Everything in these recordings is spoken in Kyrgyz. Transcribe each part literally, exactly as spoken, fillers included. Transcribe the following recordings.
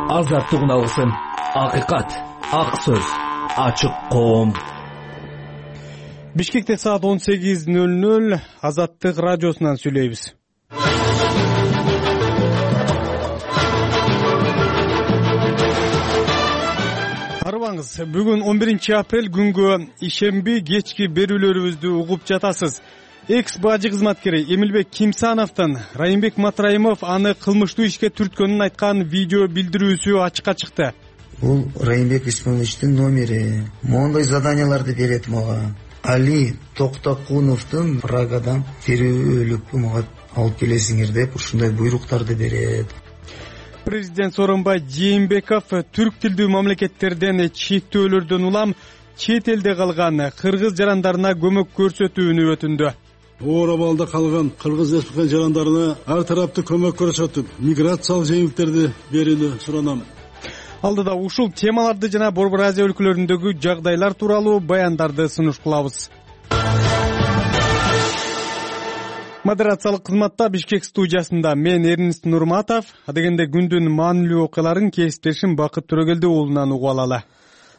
Азаттык алсын, акыйкат, ак сөз, ачык коом. Бишкекте саат он сегиз нөл нөл Азаттык радиосунан сүйлөйбүз. Арыбаңыз, бүгүн он биринчи апрель күнгө ишемби кечки берүүлөрүбүздү угуп жатасыз. Экс бажы кызматкери Эмилбек Кимсановдун Райымбек Матраимов аны кылмыштуу ишке түрткөнүн айткан видео билдирүүсү ачыкка чыкты. Бул Райымбек Исмаиловичтин номери. Мондой заданияларды берет мага. Али Токтокуновдун Прагадан терөөлүккө мага алып келесиңер деп ушундай буйруктарды берет. Президент Сооронбай Жээнбеков түрк тилдүү мамлекеттерден чектөөлөрдөн улам чет элде калган кыргыз жарандарына көмөк көрсөтүүнү өтүндү. Оор абалда калган кыргыз республика жарандарына ар тараптуу көмөк көрсөтүп, миграциялык жеңилдиктерди берүүнү суранам. Алдыда ушул темаларды жана Борбор Азия өлкөлөрүндөгү жагдайлар тууралуу баяндарды сунуш кылабыз. Модерациялык кызматта Бишкек студиясында мен Эрнест Нурматов, адегенде күндүн маанилүү окуяларын кесиптешим Бакыт Төрөгелди уулунан угуп алалы.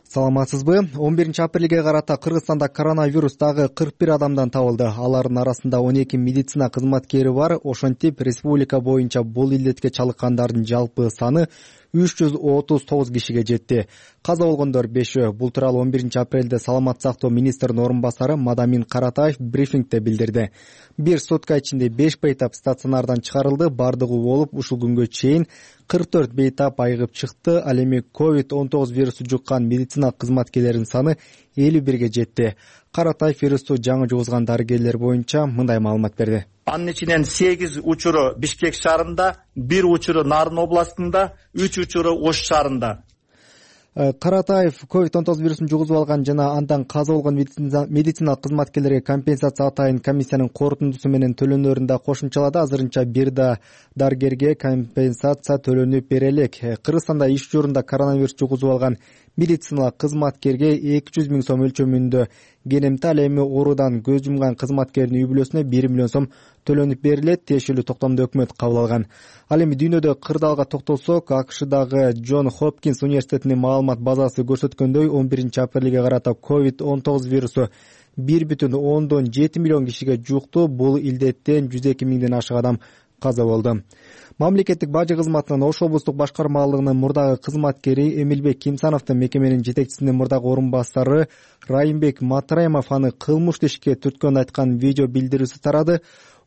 Саламатсызбы? он биринчи апрелге карата Кыргызстанда коронавирус дагы кырк бир адамдан табылды. Алардын арасында он эки медицина кызматкери бар. Ошентип, республика боюнча бул илдетке чалыккандардын жалпы саны үч жүз отуз тогуз кишиге жетти. Каза болгондор бешөө. Бул тууралуу он биринчи апрелде саламат сактоо министринин орун басары Мадамин Каратаев брифингде билдирди. Бир сутка ичинде беш бейтап стационардан чыгарылды. Бардыгы болуп, ушул күнгө чейин кырк төрт бейтап айыгып чыкты. Ал эми ковид он тогуз вирусу жуккан медицина кызматкерлеринин саны элүү бирге жетти. Каратаев вирусту жаңы жугузган дарыгерлер боюнча мындай маалымат берди. Анын ичинен сегиз учуру Бишкек шаарында, бир учуру Нарын областында, үч учуру Ош шаарында. Каратаев ковид он тогуз вирусун жугузуп алган жана андан каза болгон медициналык кызматкерлерге компенсация атайын комиссиянын корутундусу менен төлөнөрүн да кошумчалады. Азырынча бир да дарыгерге компенсация төлөнүп бере элек. Кыргызстанда иш журунда коронавирус жугузуп алган медициналык кызматкерге эки жүз миң сом өлчөмүндө генемти, ал эми оорудан көз жумган кызматкердин үй бүлөсүнө бир миллион сом төлөнүп берилет. Тиешелүү токтомду өкмөт кабыл алган. Ал эми дүйнөдө кырдаалга токтолсок, АКШдагы Джон Хопкинс университетинин маалымат базасы көрсөткөндөй он биринчи апрелге карата ковид он тогуз вирусу бир бүтүн ондон жети миллион кишиге жукту. Бул илдеттен жүз эки миңден ашык адам каза болду. Мамлекеттик бажы кызматынын Ош облустук башкармалыгынын мурдагы кызматкери Эмилбек Кимсановдун мекеменин жетекчисинин мурдагы орун басары Райымбек Матраимов аны кылмыштуу ишке түрткөнүн айткан видео билдирүүсү тарады.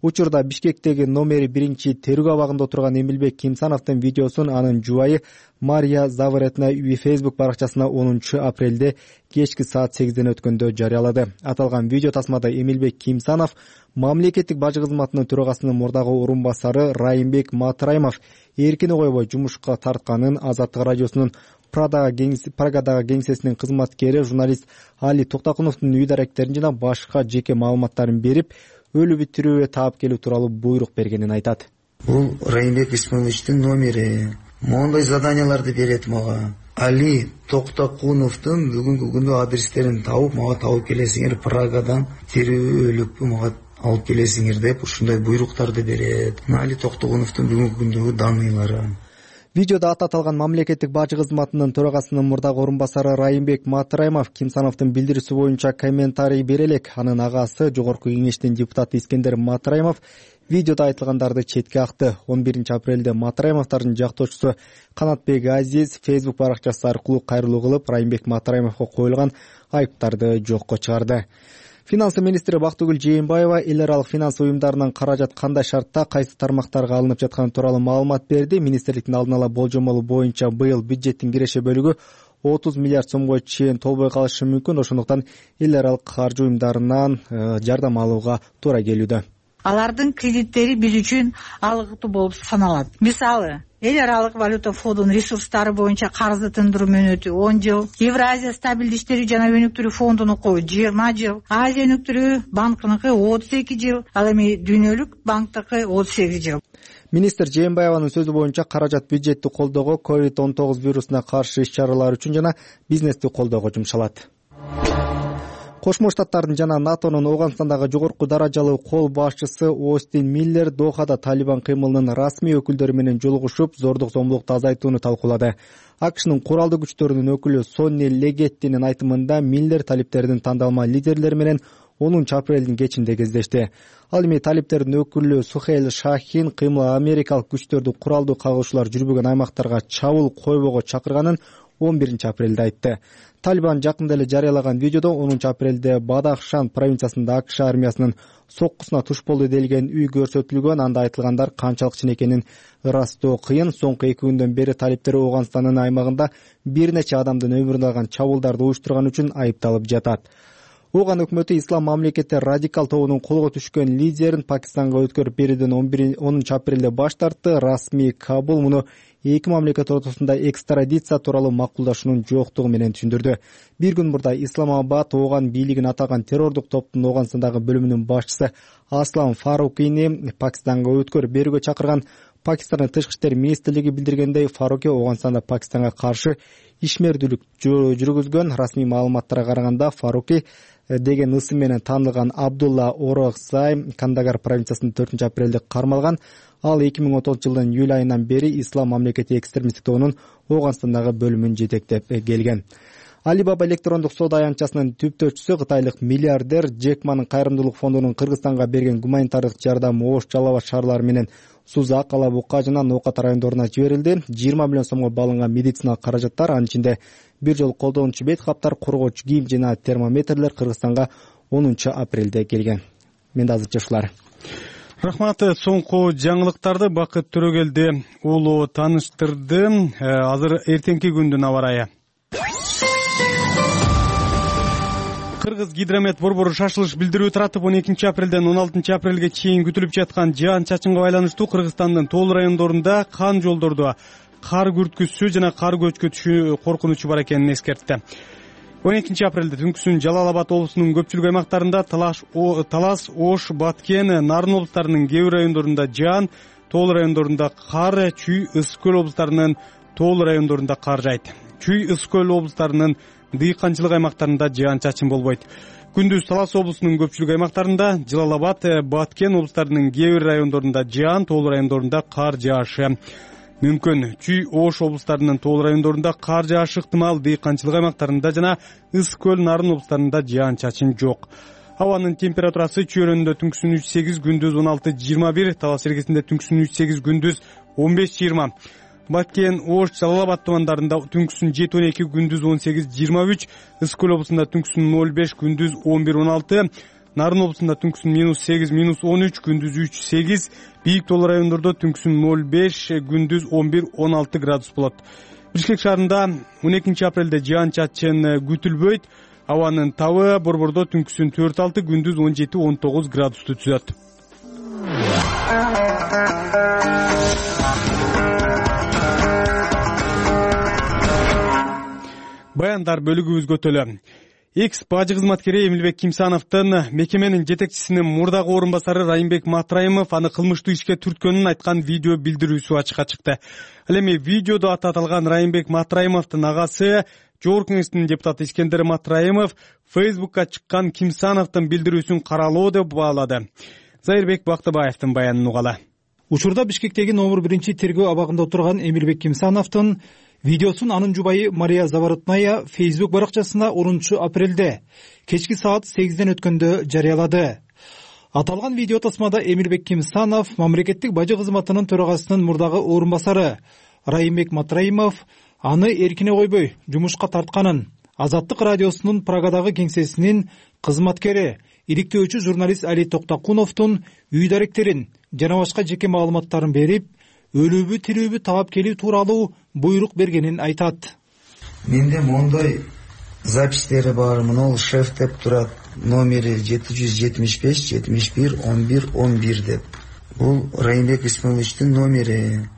Учурда Бишкектеги номери биринчи терүү абагында отурган Эмилбек Кимсановдун видеосун анын жубайы Мария Заворотна Facebook баракчасына онунчу апрелде кечки саат сегизден өткөндө жарыялады. Аталган видео тасмада Эмилбек Кимсанов мамлекеттик бажы кызматынын төрагасынын мурдагы орун басары Райымбек Матраимов эркине койбой жумушка тартканын, Азаттык радиосунун Прагадагы кеңсесинин кызматкери журналист Али Токтокуновдун үй даректерин жана башка жеке маалыматтарын берип, өлү бүтүрүүгө таап келүү тууралуу буйрук бергенин айтат. Бул Райымбек Исмаиловичтин номери. Мондой заданияларды берет мага. Али Токтокуновдун бүгүнкү күндө адрестерин тауып, мага табып келесиңер, Прагадан терөөлүккө мага алып келесиңер деп ушундай буйруктарды берет. Али Токтокуновдун бүгүнкү күндөгү даныйлары. Видеода аты аталган мамлекеттик бажы кызматынын төрагасынын мурдагы орун басары Райымбек Матраимов Кимсановдун билдирүүсү боюнча комментарий бере элек. Анын агасы Жогорку кеңештин депутаты Искендер Матраимов видеода айтылгандарды четке акты. он биринчи апрелде Матраимовдордун жактоочусу Канатбек Азиз Facebook баракчасы аркылуу кайрылуу кылып, Райымбек Матраимовго коюлган айыптарды жокко чыгарды. Финансы министри Бактыгүл Жээнбаева эл аралык финанс уюмдарынын каражат кандай шартта кайсы тармактарга алынып жатканы тууралуу маалымат берди. Министрликтин алдын ала болжомолу боюнча быйыл бюджеттин киреше бөлүгү отуз миллиард сомго чейин толбой калышы мүмкүн. Ошондуктан эл аралык каржы уюмдарынан жардам алууга туура келүүдө. Алардын кредиттери биз үчүн алгытуу болуп саналат. Мисалы, эл аралык валюта фондунун ресурстары боюнча карызды тындыруу мөөнөтү он жыл, Евразия стабилдүү иштери жана өнүктүрүү фондунуку жыйырма жыл, Азия өнүктүрүү банкыныкы отуз эки жыл, ал эми дүйнөлүк банктыкы отуз сегиз жыл. Министр Жээнбаеванын сөзү боюнча каражат бюджетти колдоого, ковид он тогуз вирусуна каршы иш чаралар үчүн жана бизнести колдоого жумшалат. Кошмо Штаттардын жана НАТОнун Ооганстандагы жогорку даражалуу кол башчысы Остин Миллер Дохада Талибан кыймылынын расмий өкүлдөрү менен жолугушуп, зордук зомбулукту азайтууну талкуулады. АКШнын куралдуу күчтөрүнүн өкүлү Сонни Легеттинин айтымында Миллер талиптердин тандалма лидерлери менен онунчу апрелдин кечинде кездешти. Ал эми талиптердин өкүлү Сухейл Шахин кыймыл америкалык күчтөрдү куралдуу кагуушуулар жүрбөгөн аймактарга чабуул койбого чакырганын он биринчи апрелде айтты. Талибан жакында эле жарыялаган видеодо онунчу апрелде Бадахшан провинциясында АКШ армиясынын соккусуна туш болду делген үй көрсөтүлгөн. Анда айтылгандар канчалык чын экенин ырастоо кыйын. Соңку эки күндөн бери талиптер Ооганстандын аймагында бир нече адамдын өмүрүн алган чабуулдарды уюштурган үчүн айыпталып жатат. Ооган өкмөтү ислам мамлекети радикал тобунун колго түшкөн лидерин Пакистанга өткөрүп берүүдөн онунчу апрелде баш тартты. Расмий Кабул муну эки мамлекет ортосунда экстрадиция тууралуу макулдашуунун жоктугу менен түшүндүрдү. Бир күн мурда Исламабад Ооган бийлигин атаган террордук топтун Ооганстандагы бөлүмүнүн башчысы Аслан Фарукини Пакистанга өткөрүп берүүгө чакырган. Пакистандын тышкы иштер министрлиги билдиргендей, Фаруки Ооганстанда Пакистанга каршы ишмердүүлүк жүргүзгөн. Расмий маалыматтарга караганда Фаруки деген ысым менен таанылган Абдулла Ороксай Кандагар провинциясында төртүнчү апрелде кармалган. Ал эки миң он тогузунчу жылдын июль айынан бери Ислам мамлекети экстремисттик тобунун Ооганстандагы бөлүмүн жетектеп келген. Alibaba электрондук соода аянтчасынын түптөөчүсү кытайлык миллиардер Джек Манын кайрымдуулук фондунун Кыргызстанга берген гуманитардык жардам Ош, Жалал Абад шаарлары менен Сузак, Ала Бука жана Ноокат райондоруна жиберилди. жыйырма миллион сомго балынган медициналык каражаттар, анын ичинде бир жолу колдонуучу бет каптар, коргоочу кийим жана термометрлер Кыргызстанга онунчу апрелде келген. Менде азырча ушулар. Рахмат. Соңку жаңылыктарды Бакыт Төрөгелди уулу тааныштырды. Азыр эртеңки күндүн аба ырайы. Кыргыз гидромет борбору шашылыш билдирүү таратып, он экинчи апрелден он алтынчы апрелге чейин күтүлүп жаткан жаан чачынга байланыштуу Кыргызстандын тоол райондорунда кан жолдордо кар күрткүсү жана кар көчкү түшүү коркунучу бар экенин эскертти. он экинчи апрелде түнкүсүн Жалал Абад облусунун көпчүлүк аймактарында, Талас, Ош, Баткен, Нарын облустарынын кээ бир райондорунда жаан, тоол райондорунда кар, Чүй, Ысык көл облустарынын тоол райондорунда кар жайт. Чүй, Ысык көл облустарынын дыйканчылык аймактарында жаан чачын болбойт. Күндүз Талас облусунун көпчүлүк аймактарында, Жалал Абад, Баткен облустарынын кээ бир райондорунда жаан, тоол райондорунда кар жаашы мүмкүн. Чүй, Ош облустарынын тоол райондорунда кар жаашы ыктымал, дыйканчылык аймактарында жана Ысык көл, Нарын облустарында жаан чачын жок. Абанын температурасы Чүй районунда түнкүсүн үч сегиз, күндүз он алты жыйырма бир, Талас эргесинде түнкүсүн үч сегиз, күндүз он беш жыйырма. Баткен, Ош, Жалал Абад тумандарында түнкүсүн жети он эки, күндүз он сегиз жыйырма үч, Ысык көл облусунда түнкүсүн ноль беш, күндүз он бир он алты, Нарын облусунда түнкүсүн минус сегиз, минус он үч, күндүз үч сегиз, бийик тоол райондордо түнкүсүн ноль беш, күндүз он бир он алты градус болот. Бишкек шаарында он экинчи апрелде жаан чачын күтүлбөйт. Абанын табы борбордо түнкүсүн төрт алты, күндүз он жети он тогуз градусту түзөт. Баяндар бөлүгүбүзгө төлө. Экс бажы кызматкери Эмилбек Кимсановдун мекеменин жетекчисинин мурдагы орун басары Райымбек Матраимов аны кылмыштуу ишке түрткөнүн айткан видео билдирүүсү ачыкка чыкты. Ал эми видеодо аты аталган Райымбек Матраимовдун агасы, Жогорку Кеңештин депутаты Искендер Матраимов Фейсбукка чыккан Кимсановдун билдирүүсүн каралоо деп баалады. Зайырбек Бактыбаевдин баянын угалы. Учурда Бишкектеги номер биринчи тергөө абагында отурган Эмилбек Кимсановдун видеосун анын жубайы Мария Заворотная Facebook баракчасына онунчу апрелде кечки саат сегизден өткөндө жарыялады. Аталган видео тасмада Эмилбек Кимсанов мамлекеттик бажы кызматынын төрагасынын мурдагы орун басары Райымбек Матраимов аны эркине койбой жумушка тартканын, Азаттык радиосунун Прагадагы кеңсесинин кызматкери, иликтөөчү журналист Али Токтокуновдун үй даректерин жана башка жеке маалыматтарын берип, өлүүбү тирүүбү таап келүү тууралуу буйрук бергенин айтат. Менде мондой запистери бар. Мына шеф деп турат, номери жети жүз жетимиш беш, жетимиш бир, он бир, он бир деп. Бул Райымбек Исмаиловичтин номери.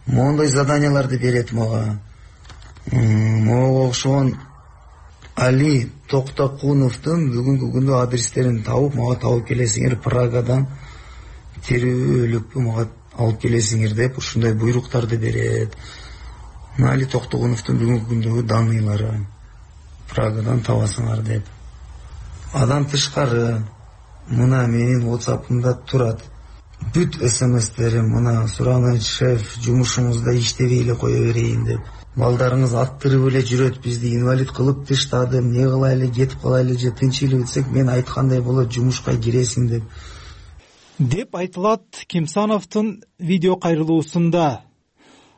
Мондой заданияларды берет мага. Мага окшогон Али Токтокуновдун бүгүнкү күндө адрестерин табып, мага табып келесиңер, Прагадан тирүүлүкпү мага алып келесиңер деп ушундай буйруктарды берет. Али Токтокуновдун бүгүнкү күндөгү даныйлары Прагадан табасыңар деп. Андан тышкары мына менин WhatsApp'ымда турат. Бүт смстерим мына Сураныч шеф, жумушуңузда иштебей эле кое берейин деп. Балдарыңыз аттырып эле жүрөт, бизди инвалид кылып таштады, эмне кылайлы, кетип калайлы же тынч эле өтсөк, мен айткандай болот, жумушка киресиң деп. Деп айтылат Кимсановдун видео кайрылуусунда.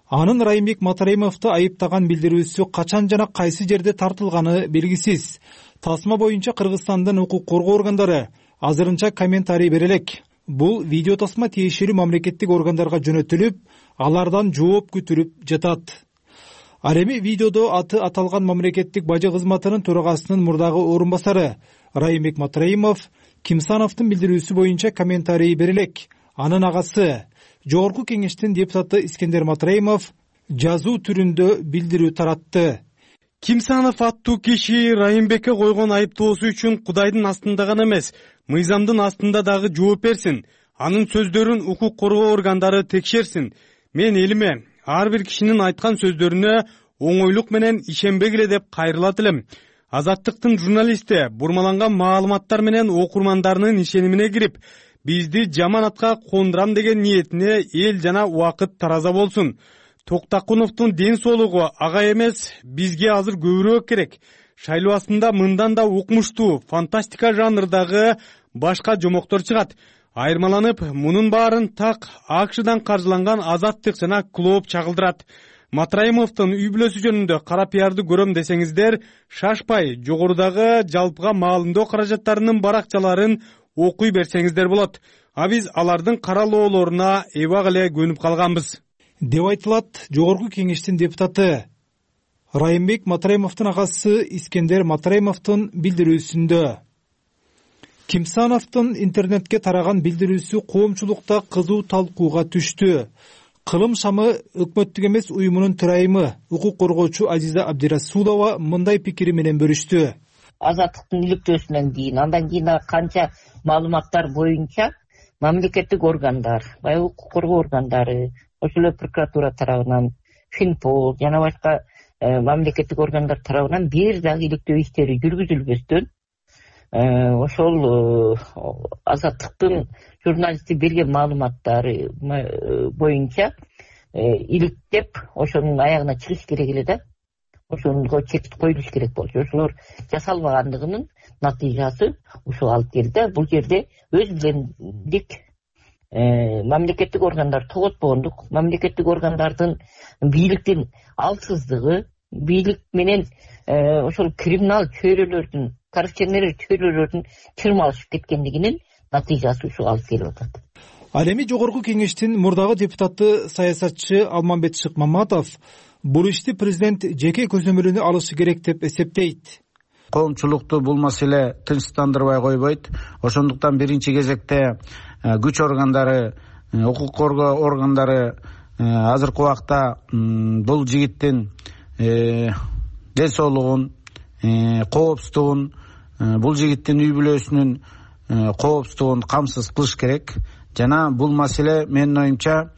Анын Райымбек Матраимовду айыптаган билдирүүсү качан жана кайсы жерде тартылганы белгисиз. Тасма боюнча Кыргызстандын укук коргоо органдары азырынча комментарий бере элек. Бул видео тасма тиешелүү мамлекеттик органдарга жөнөтүлүп, алардан жооп күтүлүп жатат. Ал эми видеодо аты аталган мамлекеттик бажы кызматынын төрагасынын мурдагы орун басары Райымбек Матраимов Кимсановдун билдирүүсү боюнча комментарий бере элек. Анын агасы Жогорку кеңештин депутаты Искендер Матраимов жазуу түрүндө билдирүү таратты. Кимсанов аттуу киши Райымбекке койгон айыптоосу үчүн Кудайдын астында гана эмес, мыйзамдын астында дагы жооп берсин. Анын сөздөрүн укук коргоо органдары текшерсин. Мен элиме ар бир кишинин айткан сөздөрүнө оңойлук менен ишенбегиле деп кайрылат элем. Азаттыктын журналисти бурмаланган маалыматтар менен окурмандарынын ишенимине кирип, бизди жаман атка кондурам деген ниетине эл жана убакыт тараза болсун. Токтакуновдун ден соолугу ага эмес, бизге азыр көбүрөөк керек. Шайлоосунда мындан да укмуштуу, фантастика жанрдагы башка жомоктор чыгат. Айырмаланып, мунун баарын так АКШдан каржыланган Азаттык жана Клооп чагылдырат. Матраимовдун үй бүлөсү жөнүндө кара пиарды көрөм десеңиздер, шашпай жогорудагы жалпыга маалымдоо каражаттарынын баракчаларын окуй берсеңиздер болот. А биз алардын каралоолоруна эбак эле көнүп калганбыз. Деп айтылат Жогорку кеңештин депутаты Райымбек Матраимовдун агасы Искендер Матраимовдун билдирүүсүндө. Кимсановдун интернетке тараган билдирүүсү коомчулукта кызуу талкууга түштү. Кылым шамы өкмөттүк эмес уюмунун төрайымы, укук коргоочу Азиза Абдирасулова мындай пикири менен бөлүштү. Азаттыктын иликтөөсүнөн кийин, андан кийин канча маалыматтар боюнча мамлекеттик органдар, баягы укук коргоо органдары, ошол эле прокуратура тарабынан, Финпол жана башка мамлекеттик органдар тарабынан бир дагы иликтөө иштери жүргүзүлбөстөн, ошол Азаттыктын журналисти берген маалыматтары боюнча иликтеп, ошонун аягына чыгыш керек эле да. Ошонго чек коюлуш керек болчу. Ошолор жасалбагандыгынын натыйжасы ушул алып келди. Бул жерде өз билендик мамлекеттик органдар тоготпогондук, мамлекеттик органдардын бийликтин алсыздыгы, бийлик менен ошол криминал чөйрөлөрдүн, коррупционер чөйрөлөрдүн чырмалышып кеткендигинин натыйжасы ушул алып келип атат. Ал эми Жогорку кеңештин мурдагы депутаты саясатчы Алмамбет Шыкмаматов бул ишти президент жеке көзөмөлүнө алышы керек деп эсептейт. Коомчулукту бул маселе тынчтандырбай койбойт. Ошондуктан биринчи кезекте күч органдары, укук коргоо органдары азыркы убакта бул жигиттин ден соолугун, коопсуздугун, бул жигиттин үй бүлөсүнүн коопсуздугун камсыз кылыш керек. Жана бул маселе менин оюмча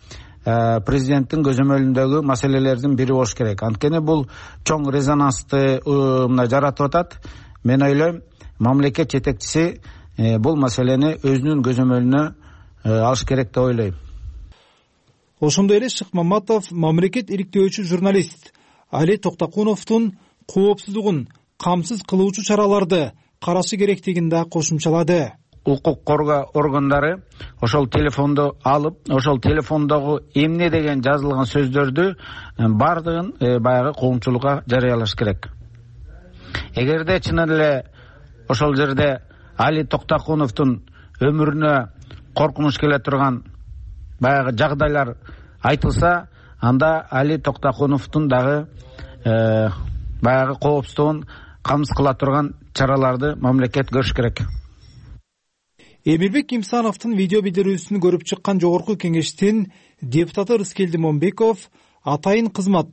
президенттин көзөмөлүндөгү маселелердин бири болуш керек. Анткени бул чоң резонансты мына жаратып атат. Мен ойлойм, мамлекет жетекчиси бул маселени өзүнүн көзөмөлүнө алыш керек деп ойлойм. Ошондой эле Шыкмаматов мамлекет иликтөөчү журналист Али Токтакуновдун коопсуздугун камсыз кылуучу чараларды карашы керектигин да кошумчалады. Укук коргоо органдары ошол телефонду алып, ошол телефондогу эмне деген жазылган сөздөрдү бардыгын баягы коомчулукка жарыялаш керек. Эгерде чын эле ошол жерде Али Токтакуновдун өмүрүнө коркунуч келе турган баягы жагдайлар айтылса, анда Али Токтакуновдун дагы баягы коопсуздугун камсыз кыла турган чараларды мамлекет көрүш керек. Эмилбек Кимсановдун видео билдирүүсүн көрүп чыккан Жогорку кеңештин депутаты Рыскелди Момбеков атайын кызмат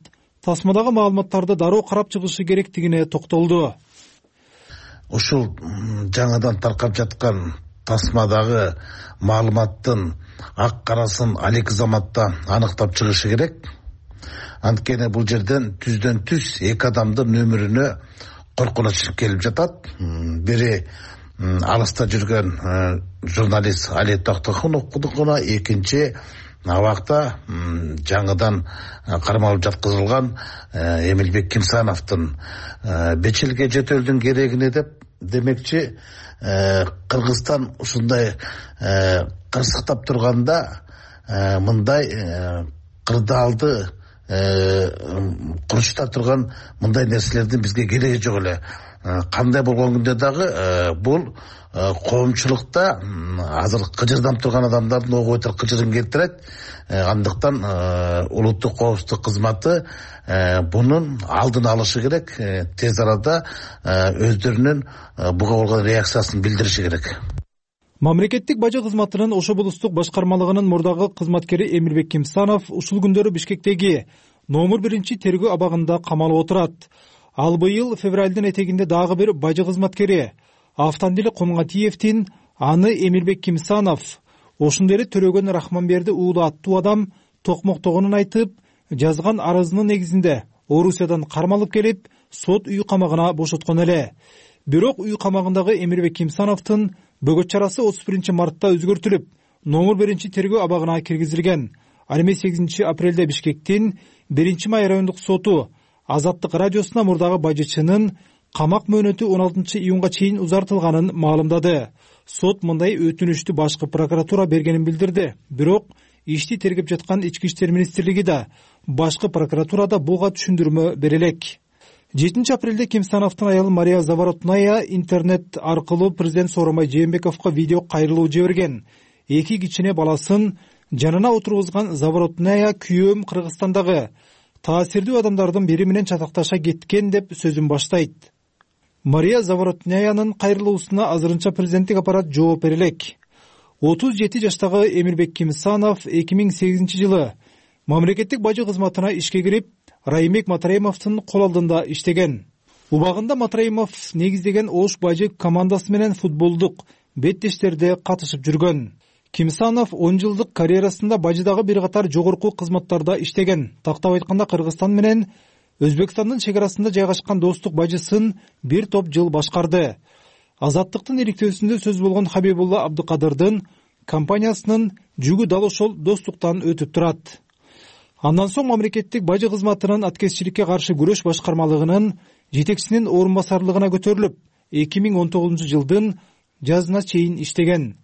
тасмадагы маалыматтарды дароо карап чыгышы керектигине токтолду. Ушул жаңадан таркап жаткан тасмадагы маалыматтын ак карасын алек заматта аныктап чыгышы керек. Анткени бул жерден түздөн түз эки адамдын өмүрүнө коркунуч келип жатат. Бири алыста жүргөн журналист Али Токтокуновдукуна, экинчи абакта жаңыдан кармалып жаткызылган Эмилбек Кимсановдун беш жылга жөтөлдүн керегине деп демекчи Кыргызстан ушундай кырсыктап турганда мындай кырдаалды курчута турган мындай нерселердин бизге кереги жок эле. Кандай болгон күндө дагы бул коомчулукта азыр кыжырданып турган адамдардын ого өтө кыжырын келтирет. Андыктан улуттук коопсуздук кызматы бунун алдын алышы керек, тез арада өздөрүнүн буга болгон реакциясын билдириши керек. Мамлекеттик бажы кызматынын Ош облустук башкармалыгынын мурдагы кызматкери Эмилбек Кимсанов ушул күндөрү Бишкектеги номер биринчи тергөө абагында камалып отурат. Ал быйыл февралдын этегинде дагы бир бажы кызматкери Автандили Комгатиевдин аны Эмилбек Кимсанов ошондой эле Төрөгөн Рахманберди уулу аттуу адам токмоктогонун айтып, жазган арызынын негизинде Орусиядан кармалып келип, сот үй камагына бошоткон эле. Бирок үй камагындагы Эмилбек Кимсановдун бөгөт чарасы отуз биринчи мартта өзгөртүлүп, номер биринчи тергөө абагына киргизилген. Ал эми сегизинчи апрелде Бишкектин биринчи май райондук соту Азаттык радиосуна мурдагы бажычынын камак мөөнөтү он алтынчы июнга чейин узартылганын маалымдады. Сот мындай өтүнүштү башкы прокуратура бергенин билдирди. Бирок ишти тергеп жаткан Ички иштер министрлиги да, башкы прокуратура да буга түшүндүрмө бере элек. жетинчи апрелде Кимсановдун аялы Мария Заворотная интернет аркылуу президент Сооронбай Жээнбековго видео кайрылуу жиберген. Эки кичине баласын жанына отургузган Заворотная күйөөм Кыргызстандагы таасирдүү адамдардын бири менен чатакташа кеткен деп сөзүн баштайт. Мария Заворотняянын кайрылуусуна азырынча президенттик аппарат жооп бере элек. отуз жети жаштагы Эмилбек Кимсанов эки миң сегизинчи жылы мамлекеттик бажы кызматына ишке кирип, Райымбек Матраимовдун кол алдында иштеген. Убагында Матраимов негиздеген Ош бажы командасы менен футболдук беттештерде катышып жүргөн. Кимсанов он жылдык карьерасында бажыдагы бир катар жогорку кызматтарда иштеген. Тактап айтканда Кыргызстан менен Өзбекстандын чек арасында жайгашкан достук бажысын бир топ жыл башкарды. Азаттыктын иликтөөсүндө сөз болгон Хабибулла Абдыкадырдын компаниясынын жүгү дал ошол достуктан өтүп турат. Андан соң мамлекеттик бажы кызматынын аткезчиликке каршы күрөш башкармалыгынын жетекчисинин орун басарлыгына көтөрүлүп, эки миң он тогузунчу жылдын жазына чейин иштеген.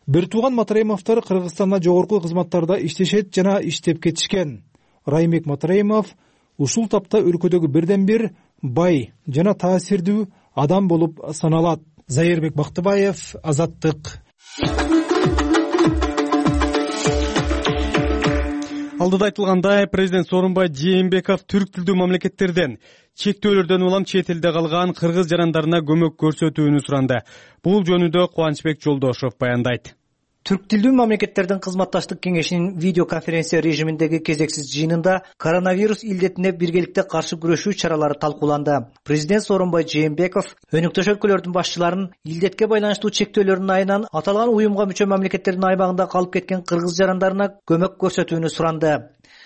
Бир тууган Матраимовдор Кыргызстанда жогорку кызматтарда иштешет жана иштеп кетишкен. Райымбек Матраимов ушул тапта өлкөдөгү бирден бир бай жана таасирдүү адам болуп саналат. Зайырбек Бактыбаев, Азаттык. Алдыда айтылгандай, президент Сооронбай Жээнбеков түрк тилдүү мамлекеттерден чектөөлөрдөн улам чет элде калган кыргыз жарандарына көмөк көрсөтүүнү суранды. Бул жөнүндө Кубанычбек Жолдошов баяндайт. Түрк тилдүү мамлекеттердин кызматташтык кеңешинин видеоконференция режиминдеги кезексиз жыйынында коронавирус илдетине биргеликте каршы күрөшүү чаралары талкууланды. Президент Сооронбай Жээнбеков өнүктөш өлкөлөрдүн башчыларын илдетке байланыштуу чектөөлөрдүн айынан аталган уюмга мүчө мамлекеттердин аймагында калып кеткен кыргыз жарандарына көмөк көрсөтүүнү суранды.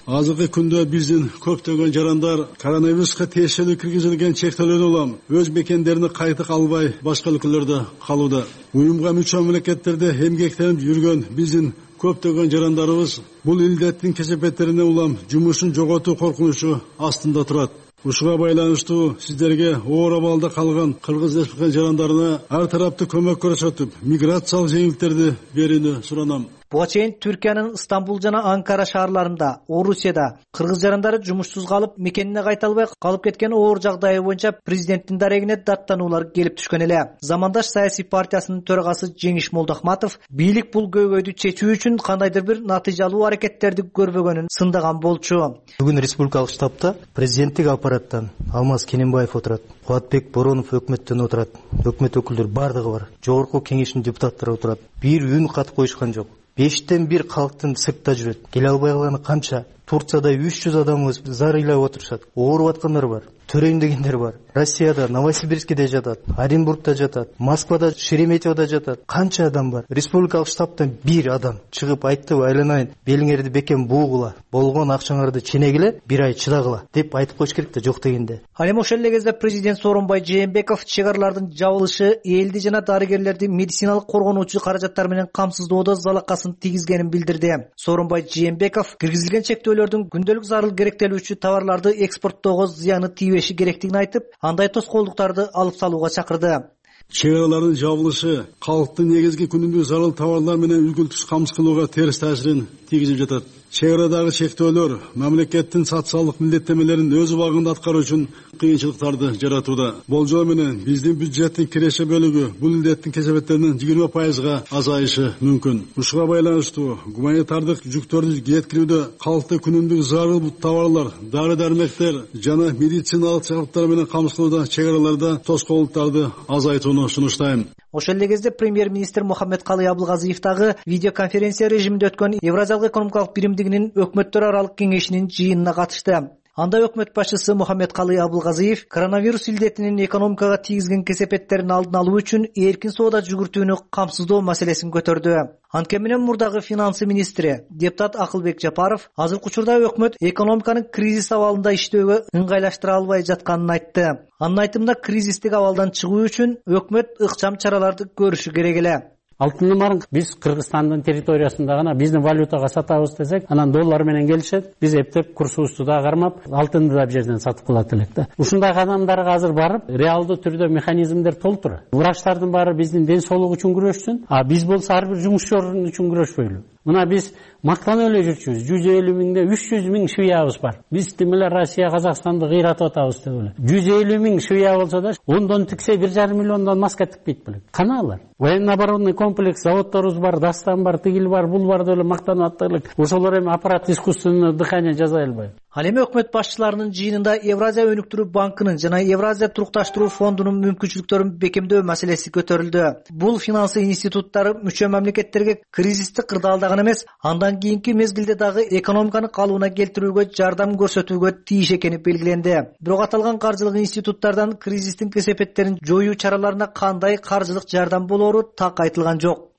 Азыркы күндө биздин көптөгөн жарандар коронавируска тиешелүү киргизилген чектөөлөрдөн улам өз мекендерине кайтып албай башка өлкөлөрдө калууда. Уюмга мүчө мамлекеттерде эмгектенип жүргөн биздин көптөгөн жарандарыбыз бул илдеттин кесепеттерине улам жумушун жоготуу коркунучу астында турат. Ушуга байланыштуу сиздерге оор абалда калган Кыргыз Республикасынын жарандарына ар тараптуу көмөк көрсөтүп, миграциялык жеңилдиктерди берүүнү суранам. Буга чейин Түркиянын Стамбул жана Анкара шаарларында, Орусияда кыргыз жарандары жумушсуз калып, мекенине кайта албай калып кеткен оор жагдайы боюнча президенттин дарегине даттануулар келип түшкөн эле. Замандаш саясий партиясынын төрагасы Жеңиш Молдохматов бийлик бул көйгөйдү чечүү үчүн кандайдыр бир натыйжалуу аракеттерди көрбөгөнүн сындаган болчу. Бүгүн республикалык штабта президенттик аппараттан Алмаз Кененбаев отурат, Кубатбек Боронов өкмөттөн отурат, өкмөт өкүлдөрү бардыгы бар, жогорку кеңештин депутаттары отурат. Бир үн кат коюшкан жок. Бештен бир калктын сыртта жүрөт. Келе албай калганы канча? Турцияда үч жүз адамыбыз зар ыйлап отурушат. Ооруп аткандар бар. төрөйм дегендер бар. Россияда Новосибирскте жатат, Оренбургда жатат, Москвада, Шереметьевода жатат. Канча адам бар? Республикалык штабтан бир адам чыгып айтты, айланайын, белиңерди бекем буугула, болгон акчаңарды ченегиле, бир ай чыдагыла деп айтып коюш керек да, жок дегенде. Ал эми ошол эле кезде президент Сооронбай Жээнбеков чек аралардын жабылышы элди жана дарыгерлерди медициналык коргонуучу каражаттар менен камсыздоодо залакасын тийгизгенин билдирди. Сооронбай Жээнбеков киргизилген чектөөлөрдүн күндөлүк зарыл керектелүүчү товарларды экспорттоого зыяны тийбеши керектигин айтып, андай тоскоолдуктарды алып салууга чакырды. Чек аралардын жабылышы калктын негизги күнүмдүк зарыл товарлар менен үзгүлтүксүз камсыз кылууга терс таасирин тийгизип жатат. Чек арадагы чектөөлөр мамлекеттин социалдык милдеттенмелерин өз убагында аткаруу үчүн кыйынчылыктарды жаратууда. Болжол менен биздин бюджеттин киреше бөлүгү бул илдеттин кесепеттеринин жыйырма пайызга азайышы мүмкүн. Ушуга байланыштуу гуманитардык жүктөрдү жеткирүүдө калкты күнүмдүк зарыл товарлар, дары-дармектер жана медициналык жабдыктар менен камсыз кылууда чек араларда тоскоолдуктарды азайтууну сунуштайм. Ошол эле кезде премьер-министр Мухаммедкалый Абылгазиев дагы видеоконференция режиминде өткөн Евразиялык экономикалык биримдигинин өкмөттөр аралык кеңешинин жыйынына катышты. Анда өкмөт башчысы Мухаммедкалый Абылгазиев коронавирус илдетинин экономикага тийгизген кесепеттерин алдын алуу үчүн эркин соода жүгүртүүнү камсыздоо маселесин көтөрдү. Анткени менен мурдагы финансы министри депутат Акылбек Жапаров азыркы учурда өкмөт экономиканын кризис абалында иштөөгө ыңгайлаштыра албай жатканын айтты. Анын айтымында кризистик абалдан чыгуу үчүн өкмөт ыкчам чараларды көрүшү керек эле. Алтынды марың биз Кыргызстандын территориясында гана биздин валютага сатабыз десек, анан доллар менен келишет, биз эптеп курсубузду да кармап, алтынды да бир жерден сатып кылат элек да. Ушундай кадамдарга азыр барып, реалдуу түрдө механизмдер толтур. Врачтардын баары биздин ден соолук үчүн күрөшсүн, а биз болсо ар бир жумушчу үчүн күрөшпөйлү. Мына биз мактанып эле жүрчүбүз. жүз элүү миңде үч жүз миң швеябыз бар. Биз тимеле Россия, Казакстанды кыйратып атабыз деп эле. жүз элүү миң швея болсо да, ондон тиксе бир жарым миллиондон маска тикпейт белек. Кана алар? Военно-оборонный комплекс, заводторубуз бар, Дастан бар, тигил бар, бул бар деп эле мактанып атты элек. Ошолор эми аппарат искусственного дыхания жасай албайбы? Ал эми өкмөт башчыларынын жыйынында Евразия өнүктүрүү банкынын жана Евразия турукташтыруу фондунун мүмкүнчүлүктөрүн бекемдөө маселеси көтөрүлдү. Бул финансы институттары мүчө мамлекеттерге кризистик кырдаалдаган эмес, андан кийинки мезгилде дагы экономиканы калыбына келтирүүгө жардам көрсөтүүгө тийиш экени белгиленди. Бирок аталган каржылык институттардан кризистин кесепеттерин жоюу чараларына кандай каржылык жардам болоору так айтылган жок.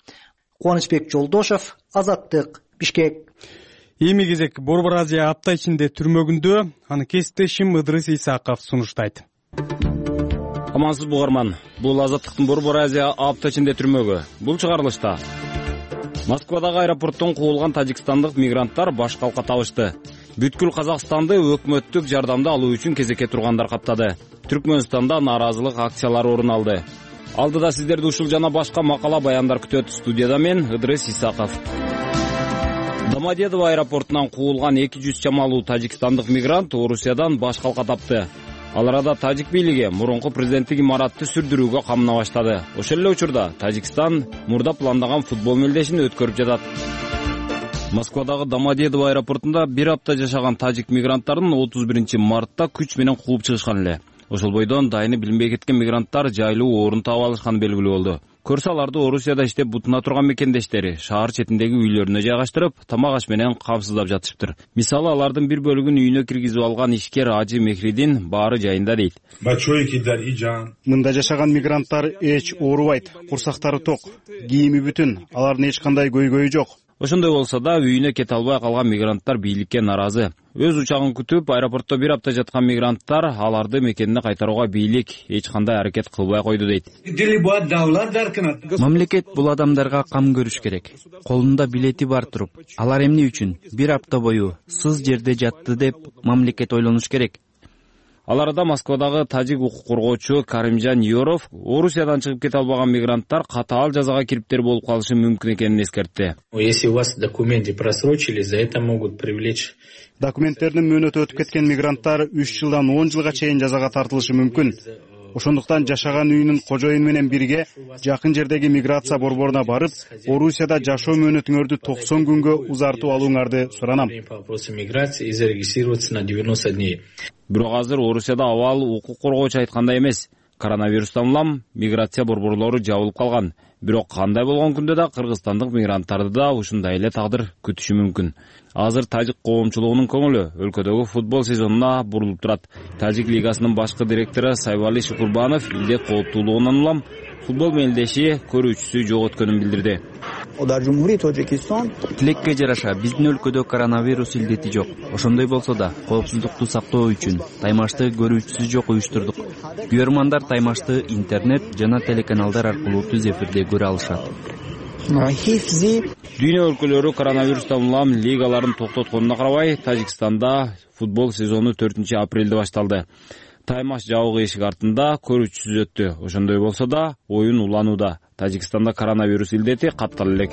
Кубанычбек Жолдошов, Азаттык, Бишкек. Эми кезек Борбор Азия апта ичинде түрмөгүндө, аны кесиптешим Ыдрыс Исаков сунуштайт. Амансыз угарман. Бул Азаттыктын Борбор Азия апта ичинде түрмөгү. Бул чыгарылышта Москвадагы аэропорттон куулган тажикстандык мигранттар баш калка табышты. Бүткүл Казакстанды өкмөттүк жардамды алуу үчүн кезекке тургандар каптады. Түркмөнстанда нааразылык акциялары орун алды. Алдыда сиздерди ушул жана башка макала баяндар күтөт. Студияда мен Ыдрыс Исаков. Домодедово аэропортунан куулган эки жүз чамалуу тажикстандык мигрант Орусиядан баш калка тапты. Ал арада тажик бийлиги мурунку президенттик имаратты сүрдүрүүгө камына баштады. Ошол эле учурда Тажикстан мурда пландаган футбол мелдешин өткөрүп жатат. Москвадагы Домодедово аэропортунда бир апта жашаган тажик мигранттарын отуз биринчи мартта күч менен кууп чыгышкан эле. Ошол бойдон дайыны билинбей кеткен мигранттар жайлуу орун таап алышканы белгилүү болду. Көрсө аларды Орусияда иштеп бутуна турган мекендештери шаар четиндеги үйлөрүнө жайгаштырып, тамак аш менен камсыздап жатышыптыр. Мисалы, алардын бир бөлүгүн үйүнө киргизип алган ишкер Ажы Мехридин баары жайында дейт. Мында жашаган мигранттар эч оорубайт, курсактары ток, кийими бүтүн, алардын эч кандай көйгөйү жок. Ошондой болсо да үйүнө кете албай калган мигранттар бийликке наразы. Өз учагын күтүп, аэропортто бир апта жаткан мигранттар аларды мекенине кайтарууга бийлик эч кандай аракет кылбай койду дейт. Мамлекет бул адамдарга кам көрүш керек. Колунда билети бар туруп, алар эмне үчүн бир апта бою сыз жерде жатты деп мамлекет ойлонуш керек. Ал арада Москвадагы тажик укук коргоочу Каримжан Юров Орусиядан чыгып кете албаган мигранттар катаал жазага кириптер болуп калышы мүмкүн экенин эскертти. Если у вас документы просрочили, за это могут привлечь. Документтердин мөөнөтү өтүп кеткен мигранттар үч жылдан он жылга чейин жазага тартылышы мүмкүн. Ошондуктан жашаган үйүнүн кожоюну менен бирге жакын жердеги миграция борборуна барып, Орусияда жашоо мөөнөтүңөрдү токсон күнгө узартып алууңарды суранам. Бирок азыр Орусияда абал укук коргоочу айткандай эмес. Коронавирустан улам миграция борборлору жабылып калган. Бирок кандай болгон күндө да кыргызстандык мигранттарды да ушундай эле тагдыр күтүшү мүмкүн. Азыр тажик коомчулугунун көңүлү өлкөдөгү футбол сезонуна бурулуп турат. Тажик лигасынын башкы директору Сайвали Шукурбанов илдет кооптуулугунан улам футбол мелдеши көрүүчүсү жок өткөнүн билдирди. Тилекке жараша биздин өлкөдө коронавирус илдети жок. Ошондой болсо да коопсуздукту сактоо үчүн таймашты көрүүчүсү жок уюштурдук. Көрөрмандар таймашты интернет жана телеканалдар аркылуу түз эфирде көрө алышат. Дүйнө өлкөлөрү коронавирустан улам лигаларын токтотконуна карабай, Тажикстанда футбол сезону төртүнчү апрелде башталды. Таймаш жабык эшик артында көрүүчүсүз өттү. Ошондой болсо да оюн уланууда. Тажикстанда коронавирус илдети каттала элек.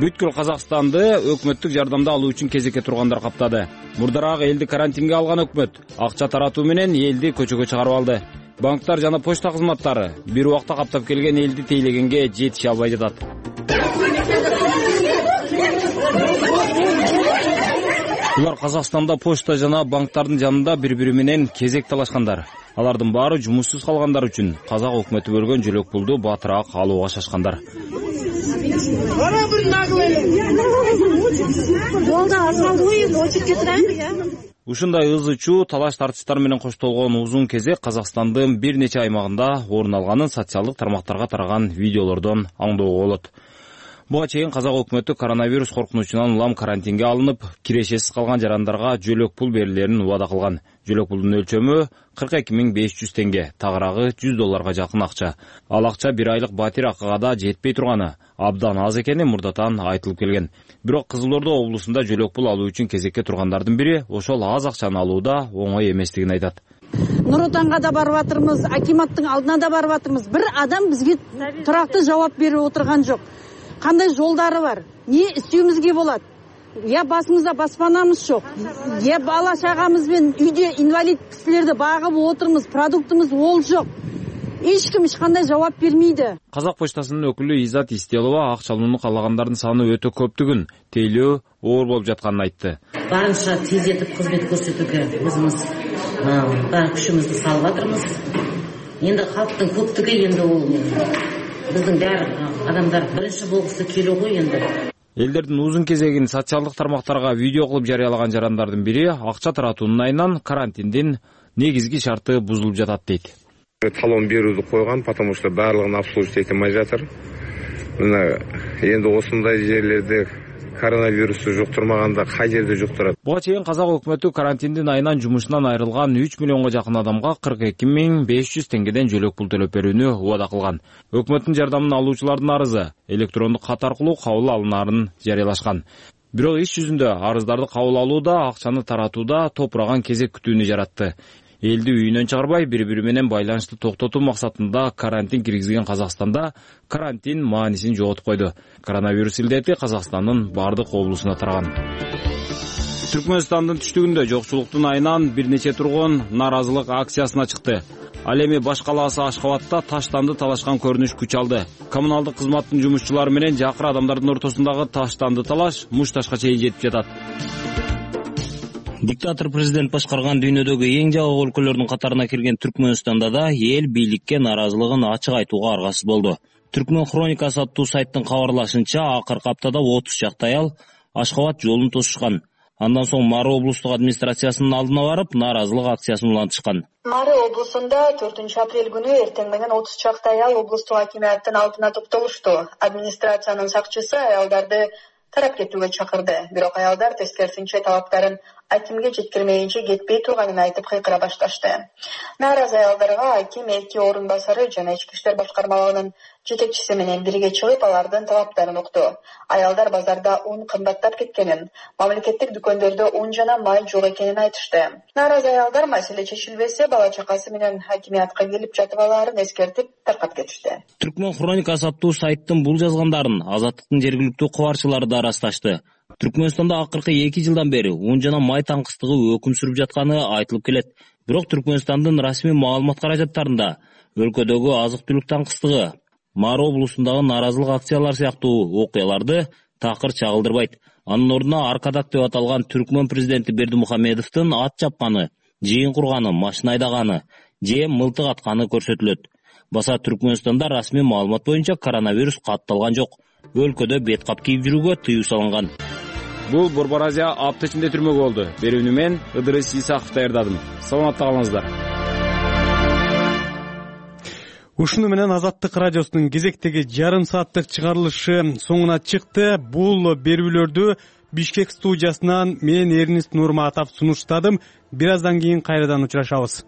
Бүткүл Казакстанды өкмөттүк жардамды алуу үчүн кезекке тургандар каптады. Мурдараак элди карантинге алган өкмөт акча таратуу менен элди көчөгө чыгарып алды. Банктар жана почта кызматтары бир убакта каптап келген элди тейлегенге жетише албай жатат. Булар Казакстанда почта жана банктардын жанында бири-бири менен кезек талашкандар. Алардын баары жумушсуз калгандар үчүн казак өкмөтү бөлгөн жөлөк пулду батыраак алууга шашкандар. Ушундай ызы чуу талаш тартыштар менен коштолгон узун кезек Казакстандын бир нече аймагында орун алганын социалдык тармактарга тараган видеолордон аңдоого болот. Буга чейин казак өкмөтү коронавирус коркунучунан улам карантинге алынып, кирешесиз калган жарандарга жөлөк пул берилерин убада кылган. Жөлөк пулдун өлчөмү кырк эки миң беш жүз теңге, тагыраагы жүз долларга жакын акча. Ал акча бир айлык батир акыга да жетпей турганы абдан аз экени мурдатан айтылып келген. Бирок Кызыл Ордо облусунда жөлөк пул алуу үчүн кезекке тургандардын бири ошол аз акчаны алууда оңой эместигин айтат. Нур Отонго да барып атырмыз, акиматтын алдына да барып атырмыз. Бир адам бизге турактуу жооп берип отурган жок. Кандай жолдары бар? Не istөөбүзгө болот? Я басымызда баспанамыз жок. Я бала чагамызбен үйдө инвалид кишилерди багып отурмуз, продуктумуз ол жок. Эч ким эч кандай жооп бермейди. Казак почтасынын өкүлү Изат Истелова акча алууну каалагандардын саны өтө көптүгүн, тейлөө оор болуп жатканын айтты. Барынча тездетип кызмет көрсөтүүгө өзүбүз бар күчүбүздү салып атырмыз. Энди калктын көптүгү энди ол биздин баары адамдар биринчи болгусу келүү го энди. Элдердин узун кезегин социалдык тармактарга видео кылып жарыялаган жарандардын бири акча таратуунун айынан карантиндин негизги шарты бузулуп жатат дейт. Талон берүүнү койгон, потому что баардыгын обслуживать эте албай жатыр. Мына энди осундай жерлерде коронавирусту жуктурмаганда кай жерде жуктурат? Буга чейин казак өкмөтү карантиндин айынан жумушунан айрылган үч миллионго жакын адамга кырк эки миң беш жүз теңгеден жөлөк пул төлөп берүүнү убада кылган. Өкмөттүн жардамын алуучулардын арызы электрондук кат аркылуу кабыл алынаарын жарыялашкан. Бирок иш жүзүндө арыздарды кабыл алууда, акчаны таратууда топураган кезек күтүүнү жаратты. Элди үйүнөн чыгарбай, бири-бири менен байланышты токтотуу максатында карантин киргизген Казакстанда карантин маанисин жоготуп койду. Коронавирус илдети Казакстандын бардык облусуна тараган. Түркмөнстандын түштүгүндө жокчулуктун айынан бир нече тургун нааразылык акциясына чыкты. Ал эми баш калаасы Ашхабадта таштанды талашкан көрүнүш күч алды. Коммуналдык кызматтын жумушчулары менен жакыр адамдардын ортосундагы таштанды талаш мушташка чейин жетип жатат. Диктатор президент башкарган дүйнөдөгү эң жабык өлкөлөрдүн катарына кирген Түркмөнстанда да эл бийликке нааразылыгын ачык айтууга аргасыз болду. Түркмөн хроникасы аттуу сайттын кабарлашынча, акыркы аптада отуз чакты аял Ашхабад жолун тосушкан. Андан соң Мары облустук администрациясынын алдына барып, нааразылык акциясын улантышкан. Мары облусунда төртүнчү апрель күнү эртең менен отуз чакты аял облустук акимияттын алдына топтолушту. Администрациянын сакчысы аялдарды тарап кетүүгө чакырды. Бирок аялдар тескерисинче талаптарын акимге жеткирмейинче кетпей турганын айтып кыйкыра башташты. Нааразы аялдарга аким эки орун басары жана ички иштер башкармалыгынын жетекчиси менен бирге чыгып, алардын талаптарын укту. Аялдар базарда ун кымбаттап кеткенин, мамлекеттик дүкөндөрдө ун жана май жок экенин айтышты. Нааразы аялдар маселе чечилбесе, бала чакасы менен хакимиятка келип жатып алаарын эскертип таркап кетишти. Түркмөн хроникасы аттуу сайттын бул жазгандарын Азаттыктын жергиликтүү кубарчылары да ырасташты. Түркмөнстанда акыркы эки жылдан бери ун жана май таңкыстыгы өкүм сүрүп жатканы айтылып келет. Бирок Түркмөнстандын расмий маалымат каражаттарында өлкөдөгү азык-түлүк таңкыстыгы, Мары облусундагы нааразылык акциялар сыяктуу окуяларды такыр чагылдырбайт. Анын ордуна Аркадак деп аталган Түркмөн президенти Бердимухамедовдун ат чапканы, жыйын курганы, машина айдаганы, же мылтык атканы көрсөтүлөт. Баса Түркмөнстанда расмий маалымат боюнча коронавирус катталган жок. Өлкөдө бет кап кийип жүрүүгө тыюу салынган. Бул Борбор Азия апта ичинде түрмөгө болду. Берүүнү мен Ыдырыс Исаков даярдадым. Саламатта калыңыздар. Ушуну менен Азаттык радиосунун кезектеги жарым сааттык чыгарылышы соңуна чыкты. Бул берүүлөрдү Бишкек студиясынан мен Эрнист Нурматов сунуштадым. Бир аздан кийин кайрадан учурашабыз.